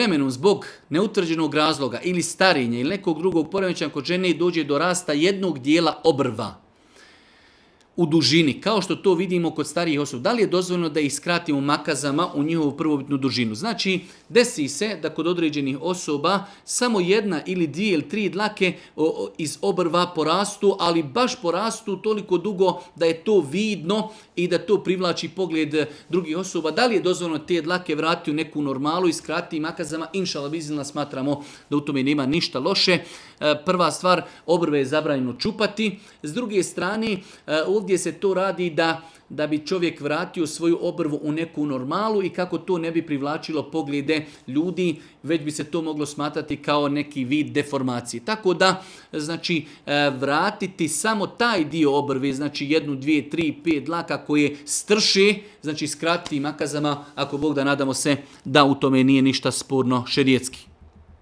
vremenom zbog neutvrđenog razloga ili starenja ili nekog drugog poremećaja kod žene dođe do rasta jednog dijela obrva u dužini, kao što to vidimo kod starijih osoba, da li je dozvoljeno da ih skratimo makazama u njihovu prvobitnu dužinu? Znači, desi se da kod određenih osoba samo jedna ili dvije ili tri dlake iz obrva porastu, ali baš porastu toliko dugo da je to vidno i da to privlači pogled drugih osoba. Da li je dozvoljeno te dlake vratiti u neku normalu i skratiti makazama? Inšala bizilna, smatramo da u tome nema ništa loše. Prva stvar, obrve je zabranjeno čupati. S druge strane, ovdje se to radi da bi čovjek vratio svoju obrvu u neku normalu i kako to ne bi privlačilo poglede ljudi, već bi se to moglo smatrati kao neki vid deformacije. Tako da, znači, vratiti samo taj dio obrve, znači 1, 2, 3, 5 dlaka koje strše, znači skratiti makazama, ako Bog da, nadamo se da u tome nije ništa sporno šerijetski.